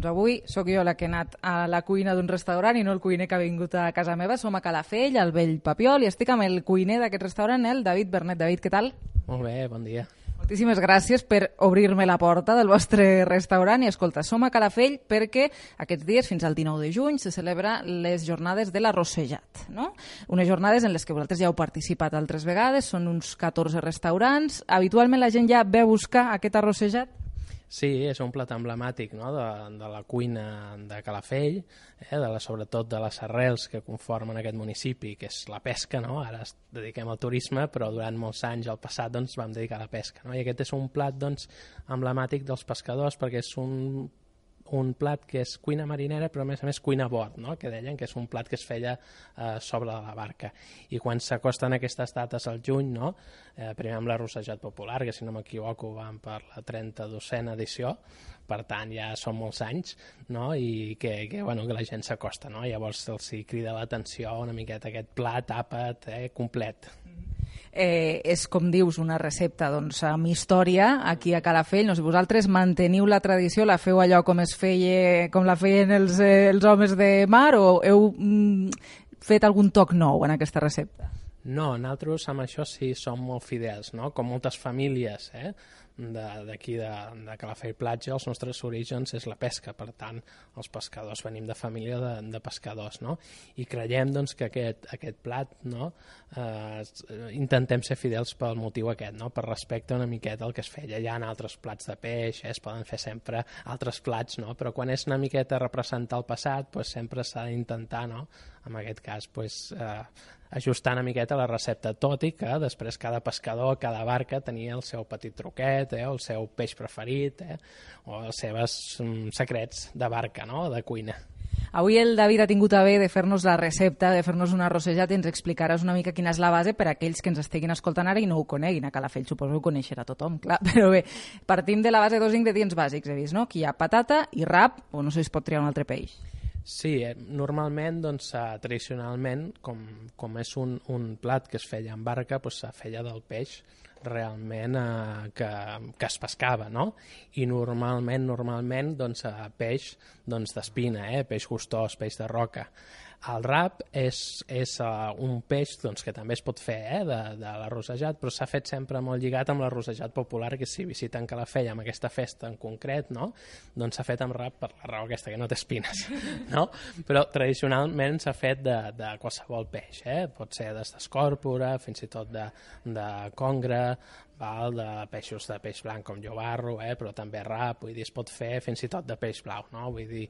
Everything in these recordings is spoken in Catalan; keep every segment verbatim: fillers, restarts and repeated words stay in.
avui sóc jo la que he anat a la cuina d'un restaurant i no el cuiner que ha vingut a casa meva. Som a Calafell, al Vell Papiol, i estic amb el cuiner d'aquest restaurant, el David Bernet. David, què tal? Molt bé, bon dia. Moltíssimes gràcies per obrir-me la porta del vostre restaurant. I escolta, som a Calafell perquè aquests dies, fins al dinou de juny, se celebra les jornades de l'arrossejat, no? Unes jornades en les que vosaltres ja heu participat altres vegades, són uns catorze restaurants. Habitualment la gent ja ve a buscar aquest arrossejat? Sí, és un plat emblemàtic, no?, de, de la cuina de Calafell, eh, de la, sobretot de les arrels que conformen aquest municipi, que és la pesca, no? Ara es dediquem al turisme, però durant molts anys al passat doncs, vam dedicar a la pesca, no? I aquest és un plat doncs, emblemàtic dels pescadors perquè és un un plat que és cuina marinera, però a més a més cuina a bord, no?, que deien que és un plat que es feia eh, sobre la barca. I quan s'acosten aquestes dates al juny, no?, eh, primer amb l'arrossejat popular, que si no m'equivoco van per la trenta-dosena edició, per tant ja són molts anys, no?, i que, que, bueno, que la gent s'acosta, no?, llavors els crida l'atenció una miqueta aquest plat, àpat, eh, complet. Eh, és, com dius, una recepta doncs, amb història aquí a Calafell. No sé, vosaltres manteniu la tradició, la feu allò com es feia, com la feien els, eh, els homes de mar, o heu mm, fet algun toc nou en aquesta recepta? No, nosaltres amb això sí som molt fidels, no? Com moltes famílies eh? d'aquí de, de, de Calafell Platja, els nostres orígens és la pesca, per tant els pescadors venim de família de, de pescadors, no? I creiem doncs, que aquest, aquest plat, no? eh, intentem ser fidels pel motiu aquest, no? Per respecte una miqueta al que es feia. Hi ha altres plats de peix, eh? Es poden fer sempre altres plats, no? Però quan és una miqueta representar el passat, pues, sempre s'ha d'intentar, no? En aquest cas, pues, eh, ajustar una miqueta la recepta, tot i que després cada pescador, cada barca tenia el seu petit truquet, eh, el seu peix preferit, eh, o els seus um, secrets de barca, no?, de cuina. Avui el David ha tingut a bé de fer-nos la recepta, de fer-nos un arrossejat, i ens explicaràs una mica quina és la base per a aquells que ens estiguin escoltant ara i no ho coneguin. A Calafell suposo que ho coneixerà tothom, clar, però bé, partim de la base de dos ingredients bàsics, he vist, no? Aquí hi ha patata i rap, o no sé si es pot triar un altre peix. Sí, eh, normalment, doncs, eh, tradicionalment, com, com és un, un plat que es feia en barca, doncs se feia del peix realment eh, que, que es pescava, no? I normalment, normalment, doncs, eh, peix doncs, d'espina, eh? Peix gustós, peix de roca. El rap és, és uh, un peix doncs, que també es pot fer eh, de, de l'arrossejat, però s'ha fet sempre molt lligat amb l'arrossejat popular, que si visiten Calafell amb aquesta festa en concret, no? Doncs s'ha fet amb rap per la raó aquesta, que no té espines, no? Però tradicionalment s'ha fet de, de qualsevol peix, eh? Pot ser d'escòrpora, fins i tot de, de congre, val, de peixos de peix blanc com llobarro, eh? Però també rap, vull dir, es pot fer fins i tot de peix blau, no? Vull dir,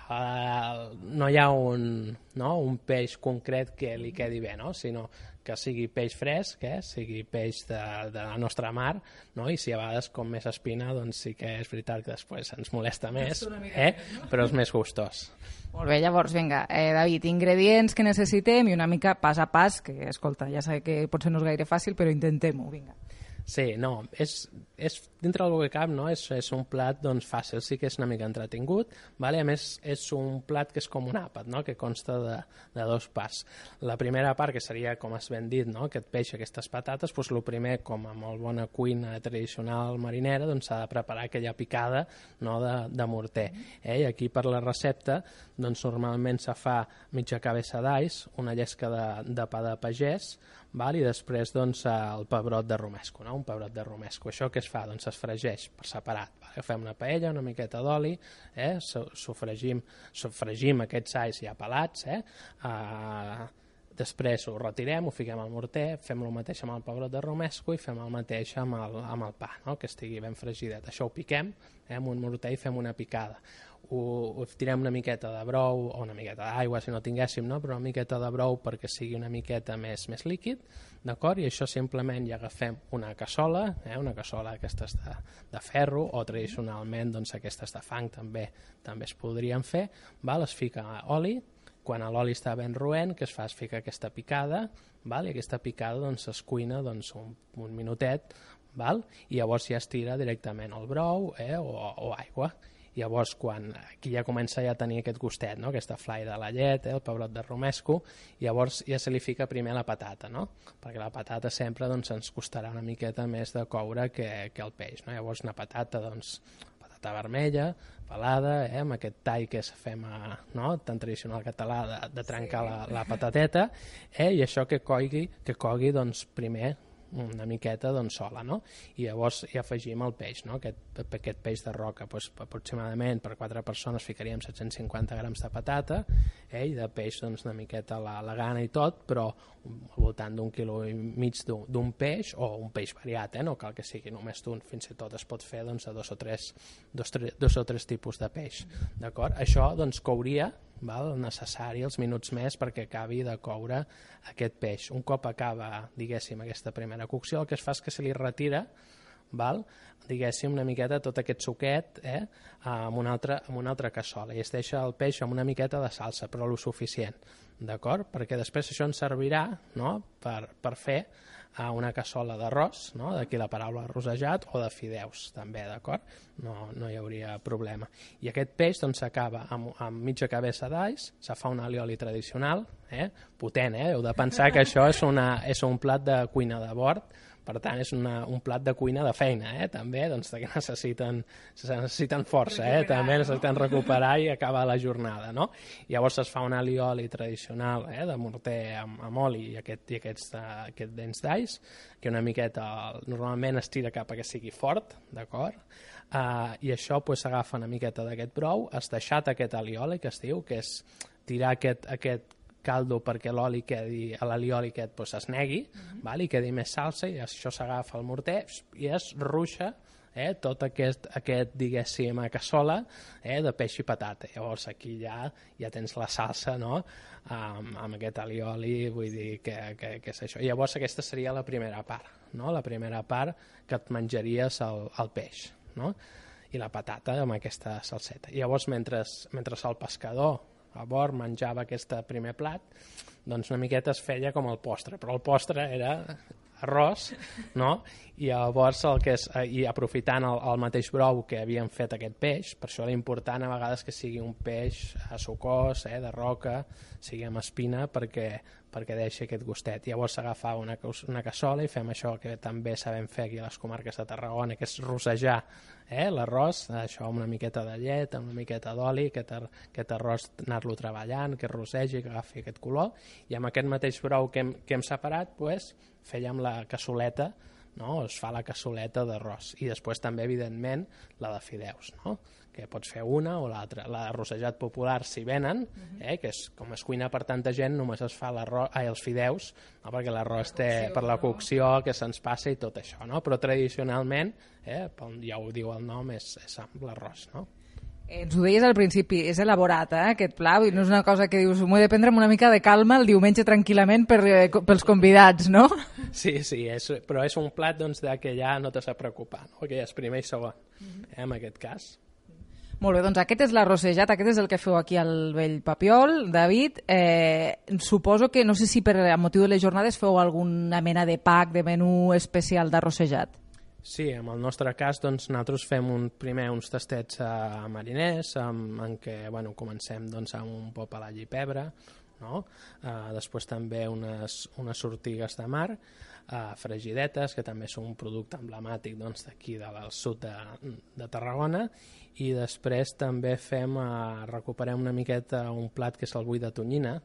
Uh, no hi ha un, no? un peix concret que li quedi bé, no? Sinó que sigui peix fresc, eh? Sigui peix de, de la nostra mar, no? I si a vegades com més espina, doncs sí que és veritat que després ens molesta més, eh? Però és més gustós. Molt bé, llavors, vinga, eh, David, ingredients que necessitem i una mica pas a pas, que, escolta, ja sé que potser no és gaire fàcil, però intentem-ho, vinga. Sí, no, és, és dintre del que cap, no? És, és un plat doncs, fàcil, sí que és una mica entretingut, vale? A més és un plat que és com un àpat, no? Que consta de, de dos parts. La primera part, que seria, com has ben dit, no? Aquest peix, aquestes patates, doncs el primer, com a molt bona cuina tradicional marinera, doncs s'ha de preparar aquella picada, no? de, de morter. Eh? I aquí per la recepta, doncs normalment se fa mitja cabeça d'alls, una llesca de, de pa de pagès, val? I després doncs, el pebrot de romesco, no? Un pebrot de romesco. Això què es fa? Doncs es fregeix per separat. Val? Agafem una paella, una miqueta d'oli, eh? sofregim, sofregim aquests alls ja pelats, eh? Uh, després ho retirem, ho fiquem al morter, fem el mateix amb el pebrot de romesco i fem el mateix amb el, amb el pa, no? Que estigui ben fregidet. Això ho piquem eh? amb un morter i fem una picada. Ho, ho tirem una miqueta de brou o una miqueta d'aigua si no tinguéssim, no? Però una miqueta de brou perquè sigui una miqueta més, més líquid, d'acord? I això simplement ja agafem una cassola, eh? Una cassola d'aquestes de, de ferro o tradicionalment doncs, aquestes de fang també també es podrien fer, val? Es fica oli, quan l'oli està ben roent, que es fa? Es fica aquesta picada, val? I aquesta picada doncs, es cuina doncs, un, un minutet, val? I llavors ja es tira directament el brou eh? o, o aigua. Llavors, quan aquí ja comença ja a tenir aquest gustet, no? Aquesta flai de la llet, eh? El pebrot de romesco, llavors ja se li fica primer la patata, no? Perquè la patata sempre doncs, ens costarà una miqueta més de coure que, que el peix, no? Llavors una patata, doncs, patata vermella, pelada, eh, amb aquest tall que fem a, no, tan tradicional català de, de trencar sí. la, la patateta, eh, i això que cogui, que cogui doncs, primer una miqueta doncs, sola, no? I llavors hi afegim el peix, no? Aquest, aquest peix de roca, doncs, aproximadament per quatre persones ficaríem set-cents cinquanta grams de patata, eh? I de peix doncs, una miqueta la, la gana i tot, però al voltant d'un quilo i mig d'un peix, o un peix variat, eh? No cal que sigui només d'un, fins i tot es pot fer doncs, de dos o tres, dos, tres, dos o tres tipus de peix, d'acord? Això doncs, couria, val, necessari els minuts més perquè acabi de coure aquest peix. Un cop acaba, diguéssim, aquesta primera cocció, el que es fa és que se li retira, val, diguéssim, una miqueta tot aquest suquet eh, amb, una altra, amb una altra cassola, i es deixa el peix amb una miqueta de salsa, però lo suficient, d'acord? Perquè després això ens servirà, no?, per, per fer a una cassola d'arròs, no? D'aquí la paraula rosejat, o de fideus també, d'acord? No, no hi hauria problema. I aquest peix doncs, s'acaba amb, amb mitja cabeça d'alls, se fa un alioli tradicional, eh? Potent, eh? Heu de pensar que això és, una, és un plat de cuina de bord, per tant és una, un plat de cuina de feina, eh? També doncs, que necessiten, necessiten força, eh? També necessiten recuperar i acabar la jornada, no? Llavors es fa un alioli tradicional eh? De morter amb, amb oli i, aquest, i aquests, uh, aquests dents d'alls, que una miqueta normalment es tira cap a que sigui fort, d'acord? Uh, I això s'agafa pues, una miqueta d'aquest brou, es deixat aquest alioli que es diu, que és tirar aquest, aquest caldo perquè l'oli quedi, l'alioli aquest pues, es negui, uh-huh. val? I quedi més salsa, i això s'agafa al morter i es ruixa eh, tot aquest, aquest diguéssim, cassola eh, de peix i patata. Llavors aquí ja, ja tens la salsa, no?, amb, amb aquest alioli, vull dir que, que, que és això. I llavors aquesta seria la primera part, no?, la primera part que et menjaries el, el peix, no?, i la patata amb aquesta salseta. I llavors mentre, mentre el pescador a bord menjava aquest primer plat, doncs una miqueta es feia com el postre, però el postre era arròs, no? I llavors el que és, i aprofitant el, el mateix brou que havien fet aquest peix, per això era important a vegades que sigui un peix a sucós, eh, de roca, sigui amb espina, perquè, perquè deixi aquest gustet. Llavors s'agafava una, una cassola i fem això que també sabem fer aquí a les comarques de Tarragona, que és rosejar eh, l'arròs, això amb una miqueta de llet, amb una miqueta d'oli, aquest, ar, aquest arròs anar-lo treballant, que rosegi, que agafi aquest color, i amb aquest mateix brou que hem, que hem separat, pues, fèiem la cassoleta, no? Es fa la cassoleta d'arròs, i després també, evidentment, la de fideus, no? Que pots fer una o l'altra. La de rossejat popular, si venen, eh, que és, com es cuina per tanta gent, només es fa ai, els fideus, no? Perquè l'arròs té per la cocció que se'ns passa i tot això, no? Però tradicionalment, eh, ja ho diu el nom, és, és amb l'arròs, no? Ens ho deies al principi, és elaborat, eh, aquest pla, no és una cosa que dius, m'ho he de prendre amb una mica de calma el diumenge tranquil·lament per, eh, pels convidats, no? Sí, sí, és, però és un plat doncs, de que ja no t'has de preocupar, no? Que ja és primer i segon, eh, en aquest cas. Molt bé, doncs aquest és l'arrossejat, aquest és el que feu aquí al Vell Papiol, David. Eh, suposo que, no sé si per a motiu de les jornades feu alguna mena de pack, de menú especial d'arrossejat. Sí, en el nostre cas doncs, nosaltres fem un, primer uns tastets a mariners amb, en què bueno, comencem doncs, amb un pop a l'all i pebre, no? Uh, després també unes, unes sortigues de mar, uh, fregidetes, que també són un producte emblemàtic doncs, d'aquí del sud de, de Tarragona, i després també fem, uh, recuperem una miqueta un plat que és el bull de tonyina,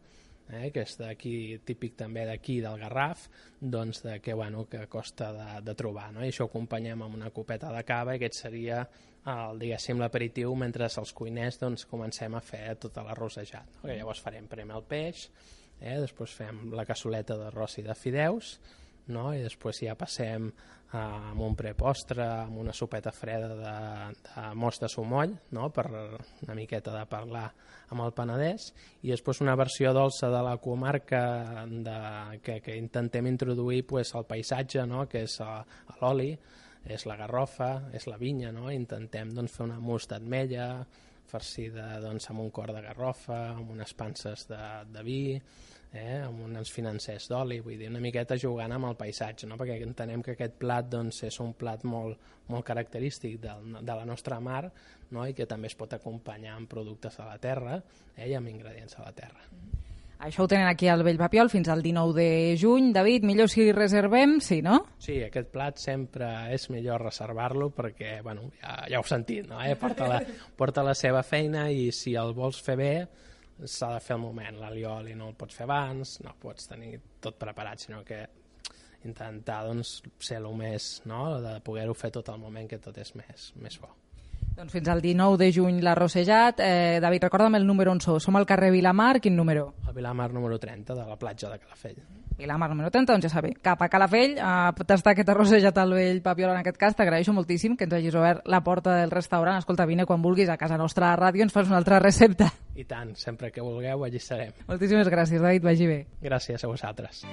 Eh, que és d'aquí, típic també d'aquí del Garraf, doncs de, que, bueno, que costa de, de trobar, no? I això ho acompanyem amb una copeta de cava, i aquest seria el, diguéssim, l'aperitiu mentre els cuiners doncs, comencem a fer tot l'arrossejat, no? Que llavors farem primer el peix, eh, després fem la cassoleta d'arròs i de fideus, no? I després ja passem uh, amb un prepostre, amb una sopeta freda de, de most de sumoll, no? Per una miqueta de parlar amb el Penedès, i després una versió dolça de la comarca de, que, que intentem introduir pues, el paisatge, no? Que és uh, l'oli, és la garrofa, és la vinya, no? Intentem doncs, fer una mousse d'ametlla farcida doncs, amb un cor de garrofa, amb unes panses de, de vi, eh, amb uns financers d'oli, vull dir, una miqueta jugant amb el paisatge, no? Perquè entenem que aquest plat doncs, és un plat molt, molt característic de, de la nostra mar, no? I que també es pot acompanyar amb productes de la terra, eh, i amb ingredients de la terra. Això ho tenen aquí al Vell Papiol fins al dinou de juny. David, millor si reservem, sí, no? Sí, aquest plat sempre és millor reservar-lo perquè, bueno, ja, ja heu sentit, no? Eh? Porta, la, porta la seva feina i si el vols fer bé s'ha de fer al moment. L'alioli no el pots fer abans, no pots tenir tot preparat, sinó que intentar doncs, ser el més, no? De poder-ho fer tot al moment, que tot és més, més bo. Doncs fins al dinou de juny l'ha rossejat. Eh, David, recorda'm el número on sou. Som al carrer Vilamar, quin número? El Vilamar número trenta, de la platja de Calafell. Vilamar número trenta, doncs ja sabeu, cap a Calafell, a tastar aquest arrossejat al Vell Papiol en aquest cas. T'agraeixo moltíssim que ens hagis obert la porta del restaurant. Escolta, vine quan vulguis a casa nostra a ràdio, ens fas una altra recepta. I tant, sempre que vulgueu, allí serem. Moltíssimes gràcies, David, vagi bé. Gràcies a vosaltres.